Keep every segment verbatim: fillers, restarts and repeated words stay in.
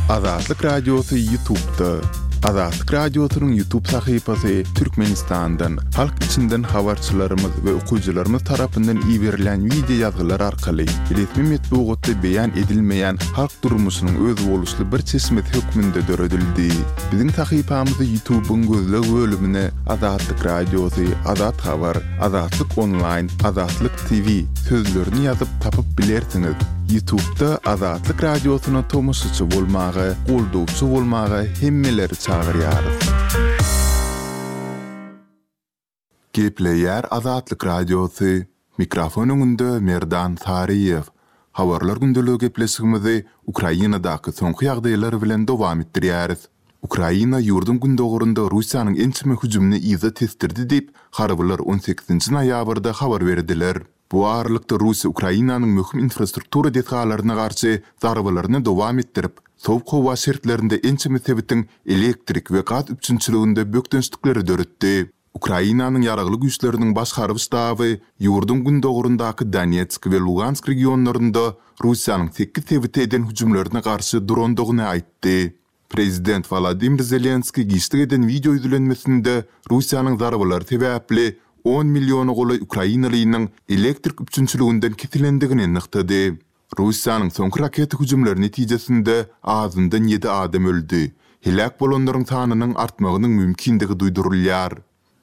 Azatlyk Radiosy YouTube'da. Azatlyk Radiosynyň YouTube sahypasy Türkmenistandan, halk içinden habarçylarymyz we okyjylarymyz tarapyndan iberilen wideo ýazgylar arkaly resmi metbugatda beýan edilmeýän halk durmuşynyň özboluşly bir çeşmesi hökmünde döredildi. Biziň sahypamyzy YouTube'yň gözleg bölümine Azatlyk Radiosy, Azat Habar, Azatlyk Onlaýn, Azatlyk T V sözlerini ýazyp tapyp bilersiňiz. YouTube'da Azatlyk Radiosyna tomaşaçy bolmaga, goldawçy bolmaga hemmeleri çagyrýarys. Gepleýär Azatlyk Radiosy. Mikrofon öňünde Merdan Saryýew. Habarlar gündeligi gepleşigimizi Ukrainadaky soňky ýagdaýlar bilen dowam etdirýäris. Ukraina ýurduň gündogarynda Russiýanyň ençeme hüjümini yza tesdirdi diýip, harbylar on sekizinji noýabrda habar berdiler. Bu aralykda Russiýa Ukrainanyň möhüm infrastruktura desgalaryna garşy zarbalaryny dowam etdirip, sowuk howa şertlerinde ençeme sebitiň elektrik we gaz üpjünçiliginde bökdençlikleri döretdi. Ukrainanyň ýaragly güýçleriniň baş harby ştaby ýurduň gündogaryndaky Donetsk we Lugansk regionlarynda Russiýanyň sekiz sebiti eden hüjümlerine garşy durandygyny aýtdy. Prezident Volodymyr Zelenskiý giçlik eden wideo ýüzlenmesinde Russiýanyň zarbalary sebäpli on milliona golaý Ukrainalynyň elektrik üpjünçiliginden kesilendigini nygtady. Russiýanyň soňky raketa hüjümleri netijesinde azyndan ýedi adam öldi. Heläk bolanlaryň sanynyň artmagynyň mümkindigi duýdurylýar.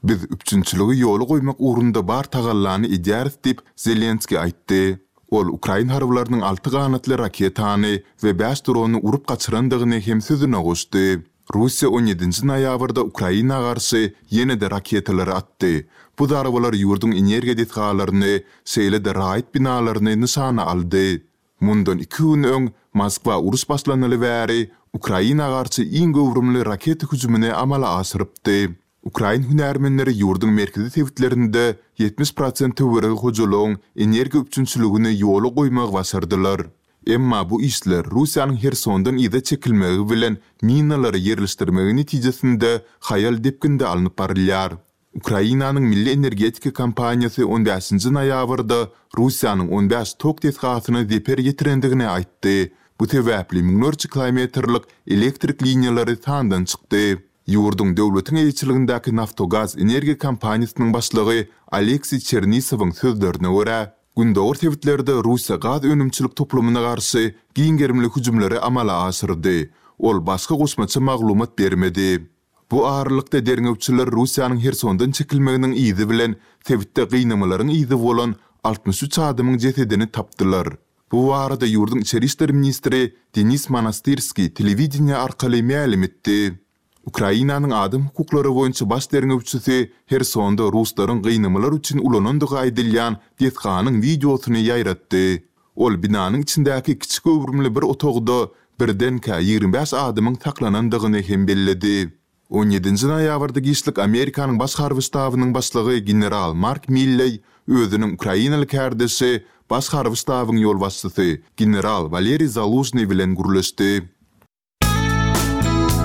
Biz üpjünçiligi ýola goýmak ugrunda bar tagallany edýäris diýip Zelenskiý aýtdy. Ol Ukrain harbylarynyň alty ganatly raketany we bäş drony urup gaçyrandygyny hem sözüne goşdy. Russiýa on ýedinji noýabrda Ukraina garşy ýene-de raketalary atdy. Bu zarbalar ýurduň energiýa desgalaryny, şeýle-de raýat binalaryny nyşana aldy. Mundan iki gün öň Moskwa uruş başlanaly bäri Ukraina garşy iň göwrümli raketa hüjümini amala aşyrypdy. Ukrain hünärmenleri ýurduň merkezi sebitlerinde ýetmiş prosent töweregi hojalygyň energiýa üpjünçiligini ýola goýmagy başardylar. Emma bu işler Russiýanyň Hersondan yza çekilmegi bilen minalary ýerleşdirmegi netijesinde haýal depginde alnyp barylýar. Ukrainanyň Milli energetika kompaniýasy on bäşinji noýabrda Russiýanyň on bäş tok desgasyna zeper ýetirendigini aýtdy. Bu sebäpli müňlerçe kilometrlik elektrik liniýalary sandan çykdy. Ýurduň döwletiň eýeçiligindäki Naftogaz energiýa kompaniýasynyň başlygy Aleksiý Çernisowyň sözlerine görä, gündogar sebitlerde Russiýa gaz önümçilik toplumyna garşy giň gerimli hüjümleri amala aşyrdy. Ol başga goşmaça maglumat bermedi. Bu aralykda derňewçiler Russiýanyň Hersondan çekilmeginiň yzy bilen sebitde gynamalaryň yzy bolan altmyş üç adamyň jesedini tapdylar. Bu barada ýurduň içeri işler ministri Denis Monastyrskiý telewideniýe arkaly mälim etdi. Ukrainanyň adam hukuklary boýunça baş derňewçisi Hersonda ruslaryň gynamalar üçin ulanandygy aýdylýan desganyň wideosyny ýaýratdy. Ol binanyň içindäki kiçi göwrümli bir otagda birdenkä ýigrimi bäş adamyň saklanandygyny hem belledi. On ýedinji noýabrda giçlik Amerikanyň baş harby ştabynyň başlygy general Mark Milley özüniň ukrainaly kärdeşi baş harby ştabyň ýolbaşçysy general Waleriý Zaluzhny bilen gürleşdi.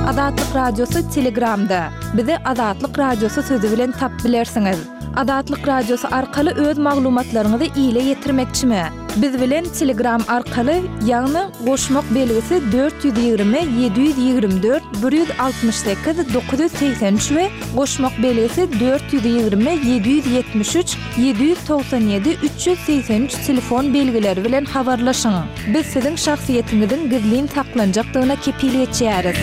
Azatlyk Radiosy Telegramda. Bizi Azatlyk Radiosy sözi bilen tap bilersiňiz. Azatlyk Radiosy arkaly öz maglumatlaryňyzy ile ýetirmekçimi? Biz bilen Telegram arkaly, ýagny goşmak belgisi dört ýüz ýigrimi, ýedi ýüz ýigrimi dört, bir ýüz altmyş sekiz, dokuz ýüz segsen üç we goşmak belgisi dört ýüz ýigrimi, ýedi ýüz ýetmiş üç, ýedi ýüz togsan ýedi, üç ýüz segsen üç telefon belgileri bilen habarlaşyň. Biz siziň şahsyýetiňiziň gizlin saklanjakdygyna kepil geçýäris.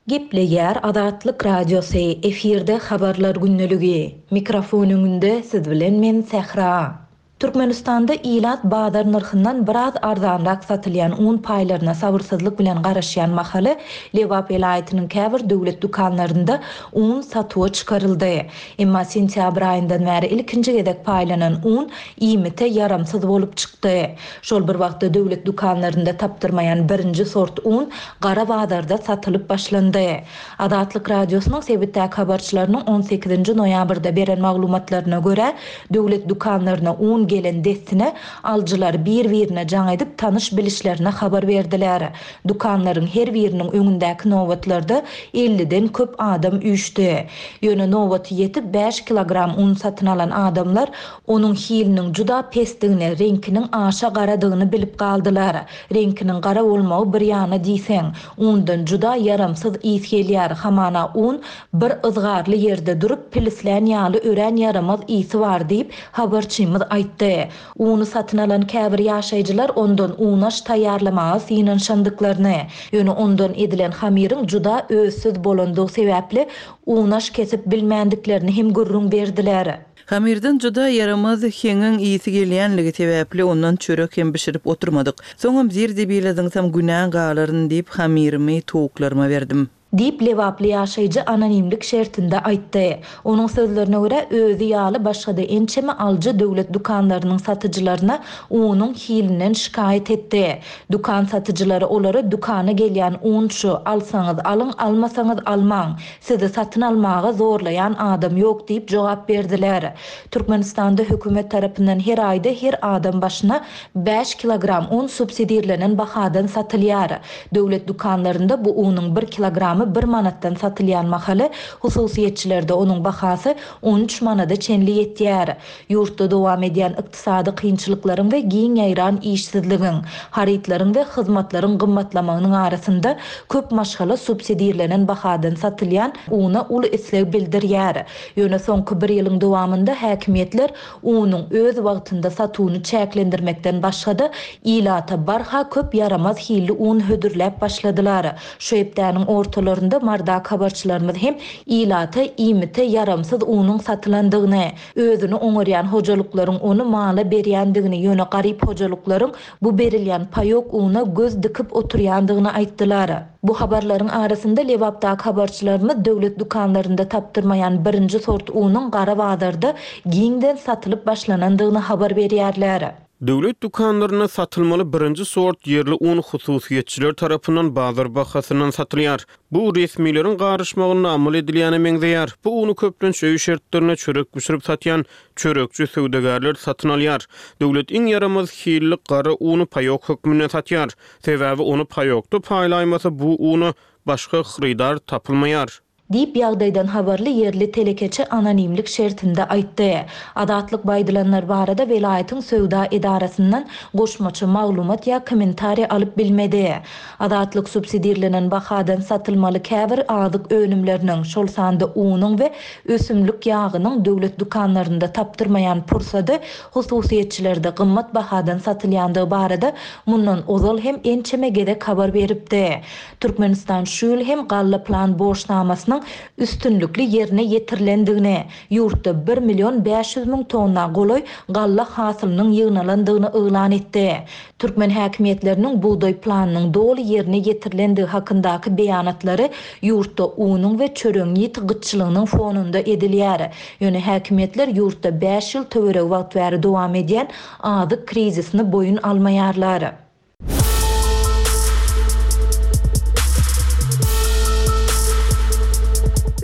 Gepleýär Azatlyk Radiosy, efirde habarlar gündeligi. Mikrofon öňünde siz bilen men Sähra. Türkmenistanda ilat bazar nyrhyndan biraz arzanrak satylýan un paýlaryna sabyrsyzlyk bilen garaşýan mahaly Lebap welaýatynyň käbir döwlet dükanlarynda un satuwa çykaryldy. Emma sentýabr aýyndan bäri ilkinji gezek paýlanan un iýmite ýaramsyz bolup çykdy. Şol bir wagtda döwlet dükanlarynda tapdyrmaýan birinji sort un gara bazarda satylyp başlandy. Azatlyk Radiosynyň sebitdäki habarçylarynyň on sekizinji noýabrda beren maglumatlaryna görä, döwlet dükanlaryna un un gelen dessine alyjylar bir-birine jaň edip tanyş-bilişlerine habar berdiler. Dükanlaryň her biriniň öňündäki nobatlarda elliden köp adam üýşdi. Ýöne nobaty ýetip bäş kilogram un satyn alan adamlar onuň hiliniň juda pesdigini, reňkiniň aşa garadygyny bilip galdylar. Reňkiniň gara bolmagy bir ýana diýseň, undan juda ýaramsyz ys gelýär, hamana un bir yzgarly ýerde durup pilislän ýaly örän ýaramaz ysy bar diýip, habarçymyz aýtdy. Uny satyn alan käbir ýaşaýjylar ondan unaş taýýarlamaga synanyşandyklaryny, ýöne ondan edilen hamyryň juda özsüz bolandygy sebäpli unaş kesip bilmändiklerini hem gürrüň berdiler. Hamyrdan juda ýaramaz heňiň ysy gelýänligi sebäpli ondan çörek hem bişirip oturmadyk. Soňam zir-zibile zyňsam günä galaryn diýip hamyrymy towuklaryma berdim. Diýip, lebaply ýaşaýjy anonimlik şertinde aýtdy. Onuň sözlerine görä, özi ýaly başga-da ençeme alyjy döwlet dükanlarynyň satyjylaryna unuň hilinden şikaýat etdi. Dükan satyjylary olara dükana gelýän un şu, alsaňyz alyň, almasaňyz almaň, sizi satyn almaga zorlaýan adam ýok diýip jogap berdiler. Türkmenistanda hökümet tarapyndan her aýda her adam başyna bäş kilogram un subsidirlenen bahadan satylýar. Döwlet dükanlarynda bu unuň bir kilogramy bir manatdan satylýan mahaly, hususyýetçilerde onuň bahasy on üç manada çenli ýetýär. Ýurtda dowam edýän ykdysady kynçylyklaryň we giň ýaýran işsizligiň, harytlaryň we hyzmatlaryň gymmatlamagynyň arasynda köp maşgala subsidirlenen bahadan satylýan una uly isleg bildirýär. Ýöne soňky bir ýylyň dowamynda häkimiýetler unuň öz wagtynda satuwyny çäklendirmekden başga-da ilata barha köp ýaramaz hilli un hödürläp başladylar. Şu hepdäniň ortalarynda Mardak habarçylarymyz hem ilata iýmite ýaramsyz unuň satylandygyny, özüni oňarýan hojalyklaryň ony mala berýändigini, ýöne garyp hojalyklaryň bu berilýän paýok una göz dikip oturýandygyny aýtdylar. Bu habarlaryň arasynda Lebapdaky habarçylarymyz döwlet dükanlarynda tapdyrmaýan birinji sort unuň gara bazarda giňden satylyp başlanandygyny habar berýärler. Döwlet dükanlarynda satylmaly birinji sort ýerli un hususyýetçiler tarapyndan bazar bahasyndan satylýar. Bu resmileriň garyşmagynda amal edilýäne meňzeýär. Bu unu köplenç öý şertlerinde çörek bişirip satýan çörekçi söwdagärler satyn alýar. Döwlet iň ýaramaz hilli gara unu paýok hökmünde satýar. Sebäbi ony paýokda paýlaýmasa bu una başga hyrydar tapylmaýar. Diýip ýagdaýdan habarly ýerli telekeçi anonimlik şertinde aýtdy. Azatlyk baýdylanlar barada welaýatyň söwda edarasyndan goşmaça maglumat ýa kommentariýa alyp bilmedi. Azatlyk subsidirlenen bahadan satylmaly käbir azyk önümleriniň, şol sanda unuň we ösümlik ýagynyň döwlet dükanlarynda tapdyrmaýan pursady hususyýetçilerde gymmat bahadan satylýandygy barada mundan ozal hem ençeme gezek habar beripdi. Türkmenistan şu ýyl hem galla plan borçnamasynyň üstünlikli ýerine ýetirilendigini, ýurtda bir million bäş ýüz müň tonna golaý galla hasylynyň ýygnalandygyny yglan etdi. Türkmen häkimiýetleriniň bugdaý planynyň doly ýerine ýetirilendigi hakyndaky beýanatlary ýurtda unuň we çöregiň ýiti gytçylygynyň fonunda edilýär. Ýöne häkimiýetler ýurtda bäş ýyl töweregi wagt bäri dowam edýän azyk krizisini boýun almaýarlar.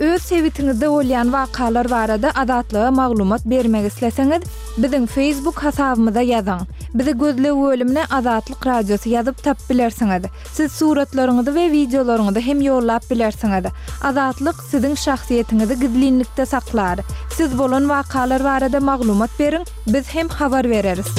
Öz sebitiňizde bolýan wakalar barada Azatlyga maglumat bermek isleseňiz, biziň Facebook hasabymyza ýazyň. Bizi gözleg bölümine Azatlyk Radiosy ýazyp tap bilersiňiz. Siz suratlaryňyzy we wideolaryňyzy hem ýollap bilersiňiz. Azatlyk siziň şahsyýetiňizi gizlinlikde saklar. Siz bolan wakalar barada maglumat beriň, biz hem habar bereris.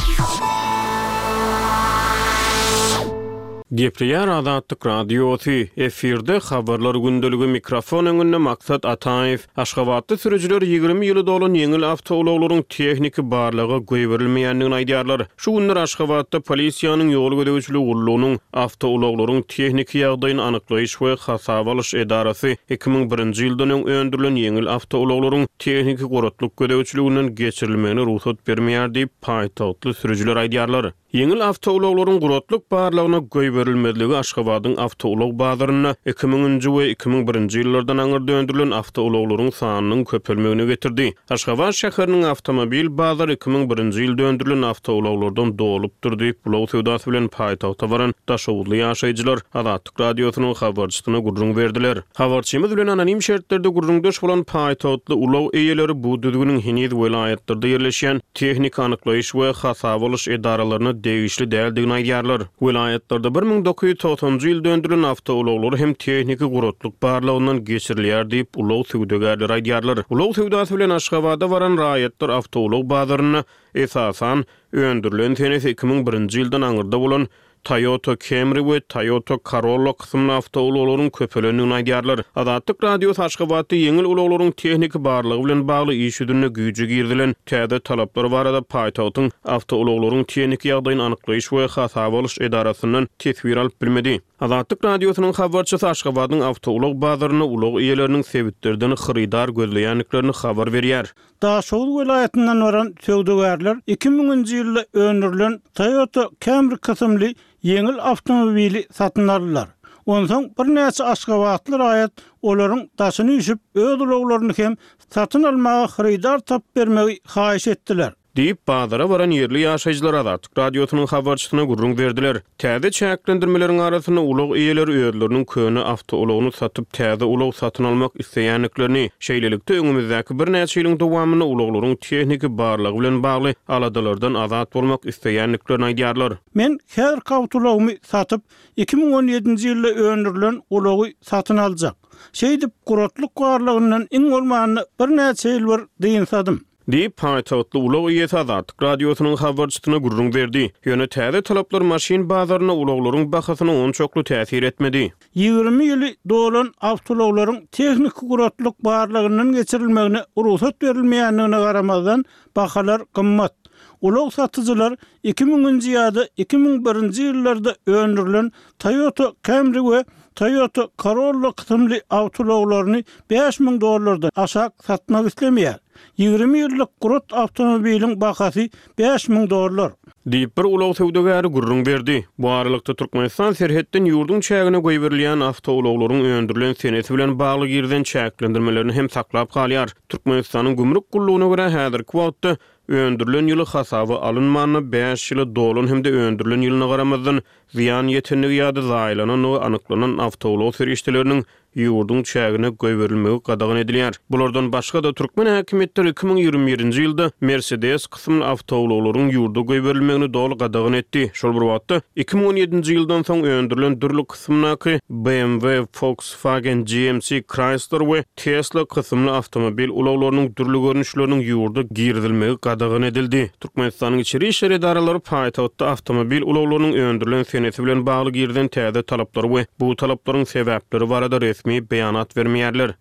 Gepleýär Azatlyk Radiosy, efirde habarlar gündeligi mikrofon öňünde Maksat Ataýew. Aşgabatda sürüjiler ýigrimi ýyly dolan ýeňil awtoulaglaryň tehniki barlaga goýberilmeýändigini aýdýarlar. Şu günler Aşgabatda polisiýanyň ýol gözegçiligi gullugynyň awtoulaglaryň tehniki ýagdaýyny anyklaýyş we hasaba alyş edarasy iki müň birinji ýyldan öň öndürilen ýeňil awtoulaglaryň tehniki guratlyk gözegçiliginden geçirilmegine rugsat bermeýär diýip paýtagtly sürüjiler aýdýarlar. Ýeňil awtoulaglaryň guratlyk barlagyna goýberilmezligi Aşgabadyň awtoulag bazarynda iki müňünji we iki müň birinji ýyllardan aňyrda öndürilen awtoulaglaryň sanynyň köpelmegine getirdi. Aşgabat şäheriniň awtomobil bazary iki müň birinji ýylda öndürilen awtoulaglardan dolupdyr diýip, ulag söwdasy bilen paýtagta baran daşoguzly ýaşaýjylar Azatlyk Radiosynyň habarçysyna gürrüň berdiler. Habarçymyz bilen anonim şertlerde gürrüňdeş bolan paýtagtly ulag eýeleri bu düzgüniň heniz welaýatlarda ýerleşýän tehniki anyklaýyş we hasaba alyş edaralaryna degişli däldigini aýdýarlar. Welaýatlarda bir müň dokuz ýüz togsanynjy ýylda öndürilen awtoulaglar hem tehniki guratlyk barlagyndan geçirilýär diýip, ulag söwdagärleri aýdýarlar. Ulag söwdasy bilen Aşgabada baran raýatlar awtoulag bazarynda, esasan, öndürilen senesi iki müň birinji ýyldan aňyrda bolan Toyota Camry we Toyota Corolla kysymly awtoulaglaryň köpelendigini aýdýarlar. Azatlyk Radiosy Aşgabatda ýeňil ulaglaryň tehniki barlagy bilen bagly iş ýüzünde güýje girizilen täze talaplar barada paýtagtyň awtoulaglaryň tehniki ýagdaýyny anyklaýyş we hasaba alyş edarasyndan teswir alyp bilmedi. Azatlyk Radiosynyň habarçysy Aşgabadyň awtoulag bazarynda ulag eýeleriniň sebitlerden hyrydar gözleýändiklerini habar berýär. Daşoguz welaýatyndan baran söwdagärler iki müňünji ýylda öndürilen Toyota Camry kysymly ýeňil awtomobili satyn aldylar. Onsoň birnäçe aşgabatly raýat olaryň daşyny üýşüp, öz ulaglaryny hem satyn almaga hyrydar tapyp bermegi haýyş etdiler. Diýip, bazara baran ýerli ýaşaýjylar Azatlyk Radiosynyň habarçysyna gürrüň berdiler. Täze çäklendirmeleriň arasynda ulag eýeleri özleriniň köne awtoulagyny satyp, täze ulag satyn almak isleýändiklerini, şeýlelikde, öňümizdäki birnäçe ýylyň dowamynda ulaglaryň tehniki barlagy bilen bagly aladalardan azat bolmak isleýändiklerini aýdýarlar. Men häzirki awtoulagymy satyp, iki müň on ýedinji ýylda öndürilen ulagy satyn aljak. Şeýdip, guratlyk barlagyndan iň bolmanda birnäçe ýyl bir dynsadym. Diýip, paýtagtly ulag eýesi Azatlyk Radiosynyň habarçysyna gürrüň berdi. Ýöne täze talaplar maşyn bazaryna ulaglaryň bahasyna onçakly täsir etmedi. Ýigrimi ýyly dolan awtoulaglaryň tehniki guratlyk barlagyndan geçirilmegine rugsat berilmeýändigine garamazdan, bahalar gymmat. Ulag satyjylar iki müňünji ýa-da iki müň birinji ýyllarda öndürilen Toyota Camry we Toyota Corolla kysymly awtoulaglaryny bäş müň dollardan aşak satmak islemeýär. Ýigrimi ýyllyk gurat awtomobiliň bahasy bäş müň dollar. Diýip, bir ulag söwdagäri gürrüň berdi. Bu aralykda, Türkmenistan serhetden ýurduň çägine goýberilýän awtoulaglaryň öndürilen senesi bilen bagly girizen çäklendirmelerini hem saklap galýar. Türkmenistanyň gümrük gullugyna görä, häzirki wagtda öndürilen ýyly hasaba alynmanda bäş ýyly dolan hem-de öndürilen ýylyna garamazdan zyýan ýetendigi ýa-da zaýalanandygy anyklanan awtoulag serişdeleriniň ýurduň çägine goýberilmegi gadagan edilýär. Bulardan başga-da türkmen häkimiýetleri iki müň ýigrimi birinji ýylda Mercedes kysymly awtoulaglaryň ýurda goýberilmegini doly gadagan etdi. Şol bir wagtda iki müň on ýedinji ýyldan soň öndürilen dürli kysymdaky B M W, Volkswagen, G M C, Chrysler we Tesla kysymly awtomobil ulaglarynyň dürli görnüşleriniň ýurda girizilmegi gadagan edildi. Türkmenistanyň içeri işler edaralary paýtagtda awtomobil ulaglarynyň öndürilen senesi bilen bagly girizen täze talaplary we bu talaplaryň sebäpleri barada resmi beýanat bermeýärler.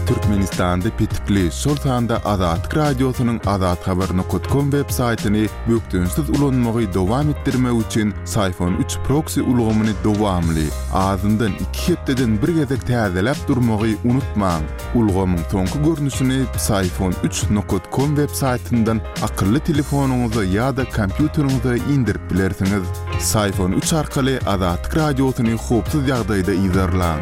Türkmenistanda petikli, şol sanda Azatlyk Radiosynyň azathabar nokta com web saýtyny bökdençsiz ulanmagy dowam etdirmek üçin Syfon üç proksi ulgamyny dowamly, azyndan iki hepdeden bir gezek täzeläp durmagy unutmaň. Ulgamyň soňky görnüşini Syfon üç nokta com web saýtyndan akylly telefonyňyza ýa-da kompýuteriňize indirip bilersiňiz. Syfon üç arkaly Azatlyk Radiosyny howpsuz ýagdaýda yzarlaň.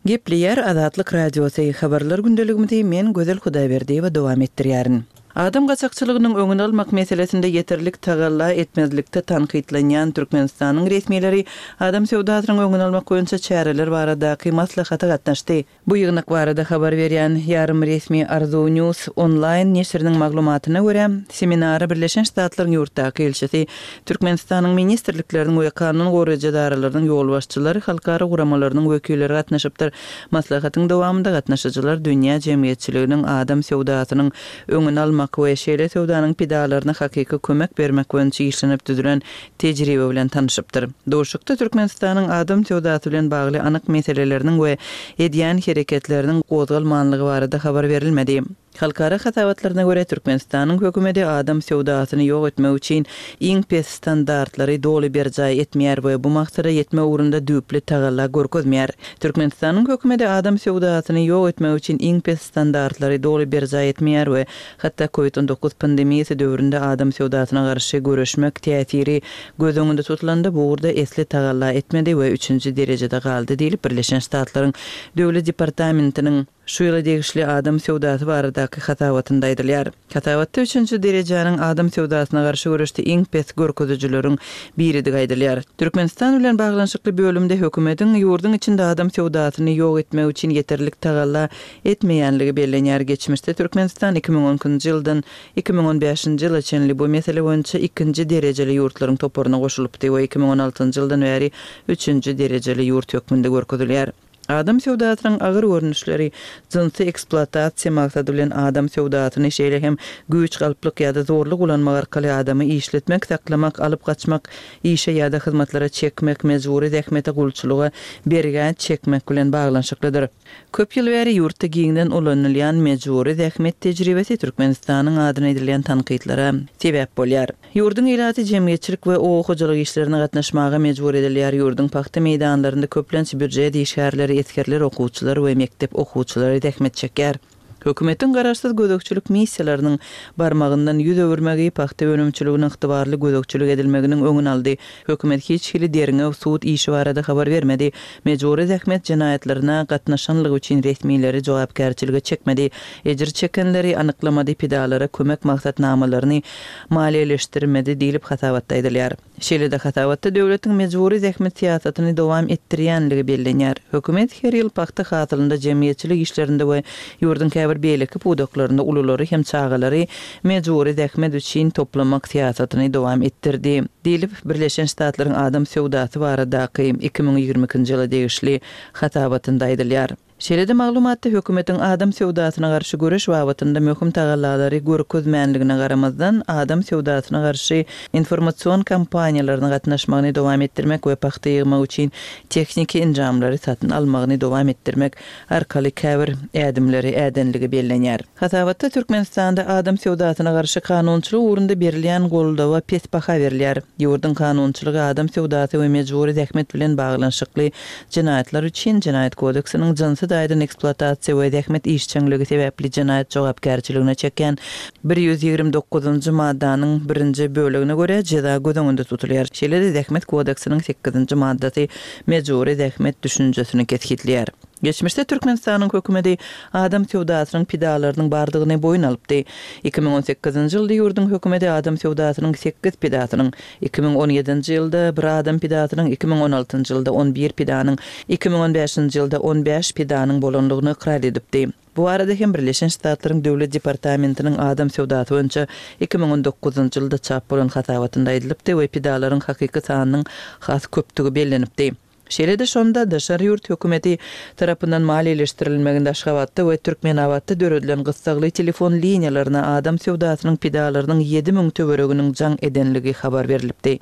Gepleýär Azatlyk Radiosy habarlar gündeligimizi men Gözel Hudaýberdiýewa dowam etdirýärin. Adam gaçakçylygynyň öňüni almak meselesinde ýeterlik tagalla etmezlikde tankytlanýan Türkmenistanyň resmileri adam söwdasynyň öňüni almak boýunça çäreler baradaky maslahata gatnaşdy. Bu ýygnak barada habar berýän ýarym resmi Arzu News onlaýn neşiriniň maglumatyna görä, seminara Birleşen Ştatlaryň ýurtdaky ilçisi, Türkmenistanyň ministrlikleriniň we kanun goraýjy edaralarynyň ýolbaşçylary, halkara guramalarynyň wekilleri gatnaşypdyr. Maslahatyň dowamynda gatnaşyjylar dünýä jemgyýetçiliginiň adam söwdasynyň öňüni almak we şeýle söwdanyň pidalaryna hakyky kömek bermek boýunça işlenip düzülen tejribe bilen tanyşypdyr. Duşuşykda Türkmenistanyň adam söwdasy bilen bagly anyk meseleleriniň we edýän hereketleriniň gozgalmanlygy barada habar berilmedi. Halkara hasabatlaryna görä, Türkmenistanyň hökümeti adam söwdasyny ýok etmek üçin iň pes standartlary doly berjaý etmeýär we bu maksada ýetmek ugrunda düýpli tagalla görkezmeýär. Türkmenistanyň hökümeti adam söwdasyny ýok etmek üçin iň pes standartlary doly berjaý etmeýär we hatda Covid on dokuz pandemiýasy döwründe adam söwdasyna garşy göreşmek täsiri göz öňünde tutulanda bu ugurda esli tagalla etmedi we üçünji derejede galdy diýlip, Birleşen Ştatlaryň Döwlet departamentiniň şu ýyla degişli adam söwdasy baradaky hasabatynda aýdylýar. Hasabatda üçünji derejäniň adam söwdasyna garşy göreşde iň pes görkezijileriň biridigi aýdylýar. Türkmenistan bilen baglanyşykly bölümde hökümetiň ýurduň içinde adam söwdasyny ýok etmek üçin ýeterlik tagalla etmeýänligi bellenýär. Geçmişde Türkmenistan iki müň on ikinji ýyldan iki müň on bäşinji ýyla çenli bu mesele boýunça ikinji derejeli ýurtlaryň toparyna goşulypdy we iki müň on altynjy ýyldan bäri üçünji derejeli ýurt hökmünde görkezilýär. Adam söwdasynyň agyr görnüşleri, jynsy ekspluatasiýa maksady bilen adam söwdasyny, şeýle hem güýç, galplyk ýa-da zorluk ulanmak arkaly adamy işletmek, saklamak, alyp gaçmak, işe ýa-da hyzmatlara çekmek, mejbury zähmete, gulçulyga, bergä çekmek bilen baglanyşyklydyr. Köp ýyl bäri ýurtda giňden ulanylýan mejbury zähmet tejribesi Türkmenistanyň adyna edilýän tankytlara sebäp bolýar. Ýurduň ilaty jemgyýetçilik we oba hojalyk işlerine gatnaşmaga mejbur edilýär. Ýurduň pagta meýdanlarynda köplenç býujet işgärleri, esgerler, okuwçylar we mekdep okuwçylary zähmet çekýär. Hökümetiň garaşsyz gözegçilik missiýalarynyň barmagyndan ýüz öwürmegi pagta önümçiligine ygtybarly gözegçilik edilmeginiň öňüni aldy. Hökümet hiç hili derňew, sud işi barada habar bermedi. Mejbury zähmet jenaýatlaryna gatnaşanlygy üçin resmileri jogapkärçilige çekmedi. Ejir çekenleri anyklamady, pidalara kömek maksatnamalaryny maliýeleşdirmedi diýlip hasabatda aýdylýar. Şeýle-de hasabatda döwletiň mejbury zähmet syýasatyny dowam etdirýänligi bellenýär. Hökümet her ýyl pagta hasylynda, jemgyýetçilik işlerinde we ýurduň käbir beýleki pudaklarynda ululary hem çagalary mejbury zähmet üçin toplamak syýasatyny dowam etdirdi, diýlip, Birleşen Ştatlaryň adam söwdasy baradaky iki müň ýigrimi ikinji ýyla degişli hasabatynda aýdylýar. Şeýle-de maglumatda hökümetiň adam söwdasyna garşy göreş babatynda möhüm tagallalary görkezmänligine garamazdan, adam söwdasyna garşy informasion kampaniýalaryna gatnaşmagyny dowam etdirmek we pagta ýygmak üçin tehniki enjamlary satyn almagyny dowam etdirmek arkaly käbir ädimleri ädenligi bellenýär. Hasabatda Türkmenistanda adam söwdasyna garşy kanunçylyk ugrunda berilýän goldawa pes baha berilýär. Ýurduň kanunçylygy adam söwdasy we mejbury zähmet bilen baglanyşykly jenaýatlar üçin Jenaýat kodeksiniň jynsy taýdan ekspluatasiýa we zähmet işjeňligi sebäpli jenaýat jogapkärçiligine çekýän bir ýüz ýigrimi dokuzynjy maddanyň birinji bölegine görä jeza göz öňünde tutulýar. Şeýle-de Zähmet kodeksiniň sekizinji maddasy mejbury zähmet düşünjesini kesgitleýär. Geçmişde Türkmenistanyň hökümeti adam söwdasynyň pidalarynyň bardygyny boýun alypdy. Iki müň on sekizinji ýylda ýurduň hökümeti adam söwdasynyň sekiz pidasynyň, iki müň on ýedinji ýylda bir adam pidasynyň, iki müň on altynjy ýylda on bir pidanyň, iki müň on bäşinji ýylda on bäş pidanyň bolandygyny ykrar edipdi. Bu barada hem Birleşen Ştatlaryň Döwlet departamentiniň adam söwdasy boýunça iki müň on dokuzynjy ýylda çap bolan hasabatynda aýdylypdy we pidalaryň hakyky sanynyň has köpdügi bellenipdi. Şeýle-de şonda daşary ýurt hökümeti tarapyndan maliýeleşdirilmeginde Aşgabatda we Türkmenabatda döredilen gyssagly telefon liniýalaryna adam söwdasynyň pidalarynyň ýedi müň töwereginiň jaň edenligi habar berlipdi.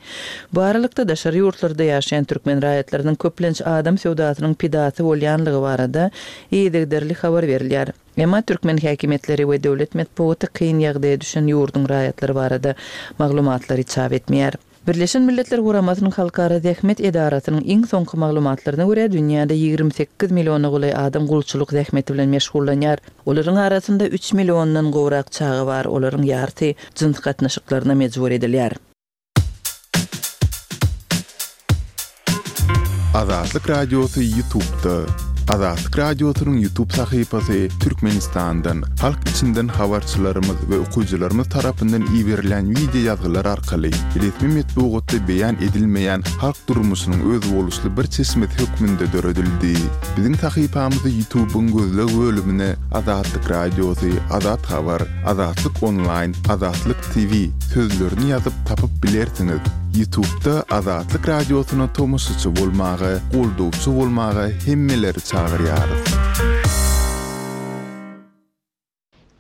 Bu aralykda daşary ýurtlarda ýaşaýan türkmen raýatlarynyň köplenç adam söwdasynyň pidasy bolýanlygy barada yzygiderli habar berilýär. Emma türkmen häkimiýetleri we döwlet metbugaty kyn ýagdaýa düşen ýurduň raýatlary barada maglumatlary çap etmeýär. Birleşen Milletler Guramasynyň Halkara Zähmet Edarasynyň iň soňky maglumatlaryna görä, dünýäde ýigrimi sekiz milliona golaý adam gulçulyk zähmeti bilen meşgullanýar. Olaryň arasynda üç milliondan gowrak çaga bar, olaryň ýarysy jyns gatnaşyklaryna mejbur edilýär. Azatlyk Radiosy YouTube-da. Azatlyk Radiosynyň YouTube sahypasy Türkmenistandan, halk içinden habarçylarymyz we okyjylarymyz tarapyndan iberilen wideo ýazgylar arkaly resmi metbugatda beýan edilmeýän halk durmuşynyň özboluşly bir çeşmesi hökmünde döredildi. Biziň sahypamyzy YouTube-yň gözleg bölümine Azatlyk Radiosy, Azat Habar, Azatlyk Online, Azatlyk T V sözlerini ýazyp tapyp bilersiňiz. YouTube-da Azatlyk Radiosyna tomaşaçy bolmaga, goldawçy bolmaga hemmeleri çagyrýarys.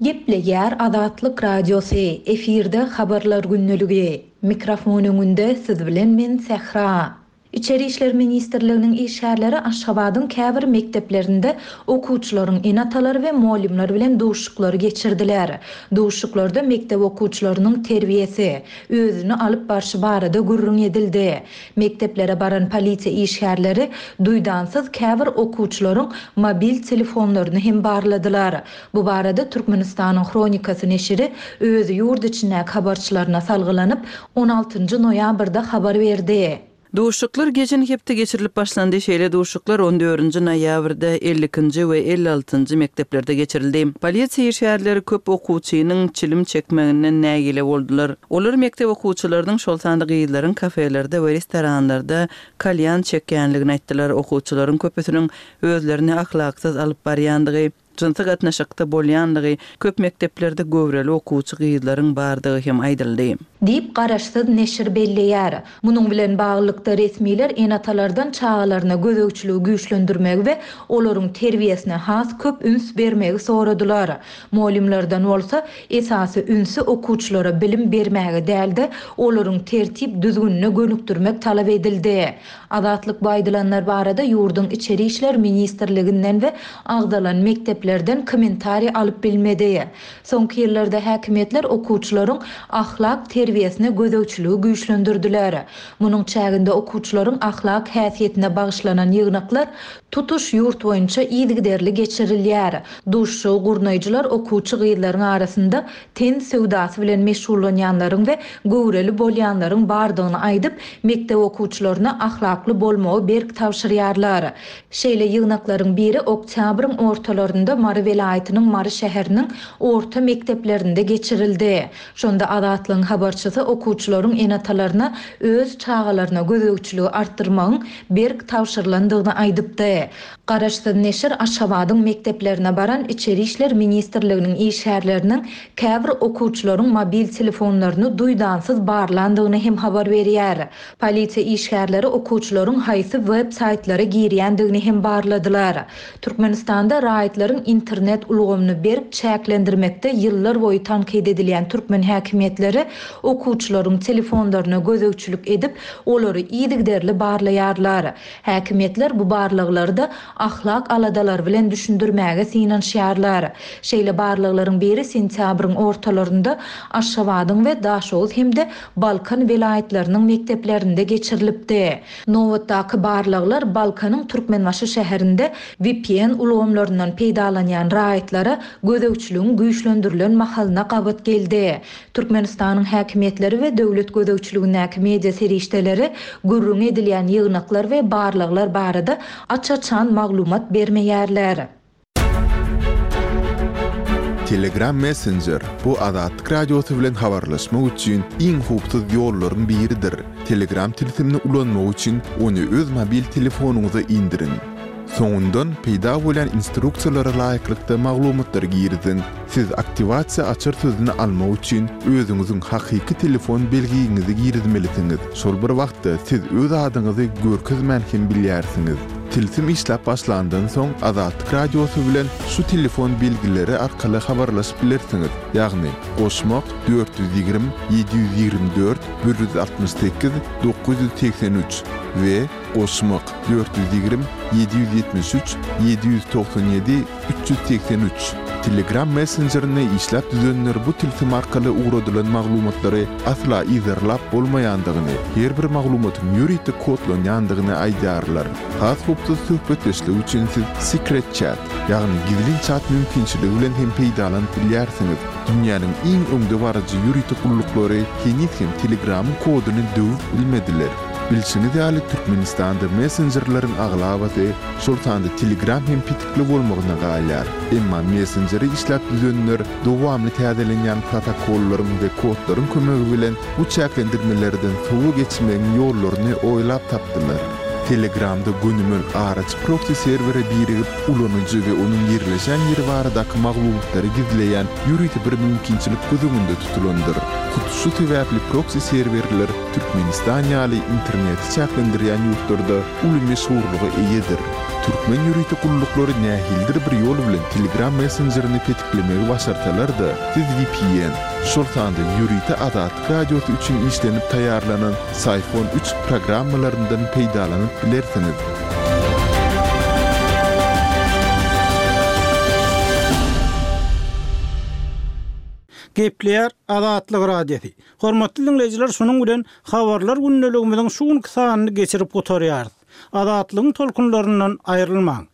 Gepleýär Azatlyk Radiosy, efirde habarlar gündeligi. Mikrofon öňünde siz bilen men Sähra. Içeri işler ministrliginiň işgärleri Aşgabadyň käbir mekdeplerinde okuwçylaryň ene-atalary we mugallymlar bilen duşuşyklary geçirdiler. Duşuşyklarda mekdep okuwçylarynyň terbiýesi, özüni alyp barşy barada gürrüň edildi. Mekdeplere baran polisiýa işgärleri duýdansyz käbir okuwçylaryň mobil telefonlaryny hem barladylar. Bu barada Türkmenistanyň Hronikasy neşiri öz ýurt içindäki habarçylaryna salgylanyp, on altynjy noýabrda habar berdi. Duşuşyklar geçen hepde geçirilip başlandy. Şeýle duşuşyklar on dördünji noýabrda elli ikinji we elli altynjy mekdeplerde geçirildi. Polisiýa işgärleri köp okuwçynyň çilim çekmeginden nägile boldular. Olar mekdep okuwçylarynyň, şol sanda gyzlaryň kafelerde we restoranlarda kalýan çekýänligini aýtdylar. Okuwçylaryň köpüsiniň özlerini ahlaksyz alyp barýandygy, jynsy gatnaşykda bolýandygy, köp mekdeplerde göwreli okuwçy gyzlaryň bardygy hem aýdyldy. Diýip, garaşsyz neşir belleýär. Munuň bilen baglylykda resmiler ene-atalardan çagalaryna gözegçiligi güýçlendirmegi we olaryň terbiýesine has köp üns bermegi soradylar. Mugallymlardan bolsa esasy ünsi okuwçylara bilim bermäge däl-de, olaryň tertip düzgünine gönükdirmek talap edildi. Azatlyk bu aýdylanlar barada ýurduň Içeri işler ministrliginden we agzalan mekdeplerden kommentariý alyp bilmedi. Soňky ýyllarda häkimiýetler okuwçylaryň ahlak terbiýesine gözegçiligi güýçlendirdiler. Munuň çäginde okuwçylaryň ahlak häsiýetine bagyşlanan ýygnaklar tutuş ýurt boýunça yzygiderli geçirilýär. Duşuşygy gurnaýjylar okuwçy gyzlaryň arasynda ten söwdasy bilen meşgullanýanlaryň we göwreli bolýanlaryň bardygyny aýdyp, mekdep okuwçylaryna ahlakly bolmagy berk tabşyrýarlar. Şeýle ýygnaklaryň biri oktýabryň ortalarynda Mary welaýatynyň Mary şäheriniň orta mekdeplerinde geçirildi. Şonda Azatlygyň habarçysy okuwçylaryň ene-atalaryna öz çagalaryna gözegçiligi artdyrmagyň berk tabşyrylandygyny aýdypdy. Garaşsyz neşir Aşgabadyň mekdeplerine baran Içeri işler ministrliginiň işgärleriniň käbir okuwçylaryň mobil telefonlaryny duýdansyz barlandygyny hem habar berýär. Polisiýa işgärleri okuwçylaryň haýsy web saýtlara girýändigini hem barladylar. Türkmenistanda raýatlaryň internet ulgamyny berk çäklendirmekde ýyllar boýy tankyt edilýän türkmen häkimiýetleri okuwçylaryň telefonlaryna gözegçilik edip, olary yzygiderli barlaýarlar. Häkimiýetler bu barlaglary da ahlak aladalary bilen düşündirmäge synanyşýarlar. Şeýle barlaglaryň biri sentýabryň ortalarynda Aşgabadyň we Daşoguz hem-de Balkan welaýatlarynyň mekdeplerinde geçirilipdi. Nobatdaky barlaglar Balkanyň Türkmenbaşy şäherinde V P N ulgamlaryndan peýdalanýan raýatlara gözegçiligiň güýçlendirilen mahalyna gabat geldi. Türkmenistanyň häkimiýetleri we döwlet gözegçiligindäki media serişdeleri gürrüň edilýän ýygnaklar we barlaglar barada aç-açan maglumat bermeýärler. Telegram Messenger bu Azatlyk Radiosy bilen habarlaşmak üçin iň howpsuz ýollaryň biridir. Telegram tilsimini ulanmak üçin ony öz mobil telefonyňyza indiriň. Soňundan peýda bolan instruksiýalara laýyklykda maglumatlary giriziň. Siz aktiwasiýa açar sözüni almak üçin özüňiziň hakyky telefon belgiňizi girizmelisiňiz. Şol bir wagtda siz öz adyňyzy görkezmän hem bilýärsiňiz. Tilsim işläp başlandan soň Azatlyk Radiosy bilen şu telefon belgileri arkaly habarlaşyp bilersiňiz. Ýagny goşmak dört ýüz ýigrimi, ýedi ýüz ýigrimi dört, bir ýüz altmyş sekiz, dokuz ýüz segsen üç we goşmak dört ýüz ýigrimi, ýedi ýüz ýetmiş üç, ýedi ýüz togsan ýedi, üç ýüz segsen üç. Telegram messenjerini işläp düzenler bu tilsim arkaly ugradylan maglumatlary asla yzarlap bolmaýandygyny, her bir maglumatyň ýörite kodlanýandygyny aýdýarlar. Has howpsuz söhbetdeşlik üçin siz Secret Chat, ýagny gizlin chat mümkinçiligi bilen hem peýdalanyp bilýärsiňiz. Dünýäniň iň öňdebaryjy ýörite gulluklary heniz hem Telegramyň koduny döwüp bilmediler. Bilşiňiz ýaly Türkmenistanda messenjerleriň aglabasy, şol sanda Telegram hem petikli bolmagyna galýar. Emma messenjeri işläp düzenler dowamly täzelenýän protokollaryň we kodlaryň kömegi bilen bu çäklendirmelerden sowa geçmegiň ýollaryny oýlap tapdylar. Telegramda gönümel araç proxy serwere birigip, ulanyjy we onuň ýerleşen ýeri baradaky maglumatlary gizleýän ýörite bir mümkinçilik göz öňünde tutulandyr. Hut şu sebäpli proxy serwerler Türkmenistan ýaly interneti çäklendirýän ýurtlarda uly meşhurlyga eýedir. Türkmen ýörite gulluklary nähilidir bir ýol bilen Telegram messenjerini petiklemegi başarsalar-da, siz vpn, şol sanda ýörite Azatlyk Radiosy üçin işlenip taýýarlanan Psiphon üç programmalaryndan peýdalanyp bilersiňiz. Gepleýär Azatlyk Radiosy. Hormatly diňleýjiler, şunuň bilen Habarlar gündeligimiziň şu günki sanyny geçirip gutarýarys. Azatlygyň tolkunlaryndan aýrylmaň!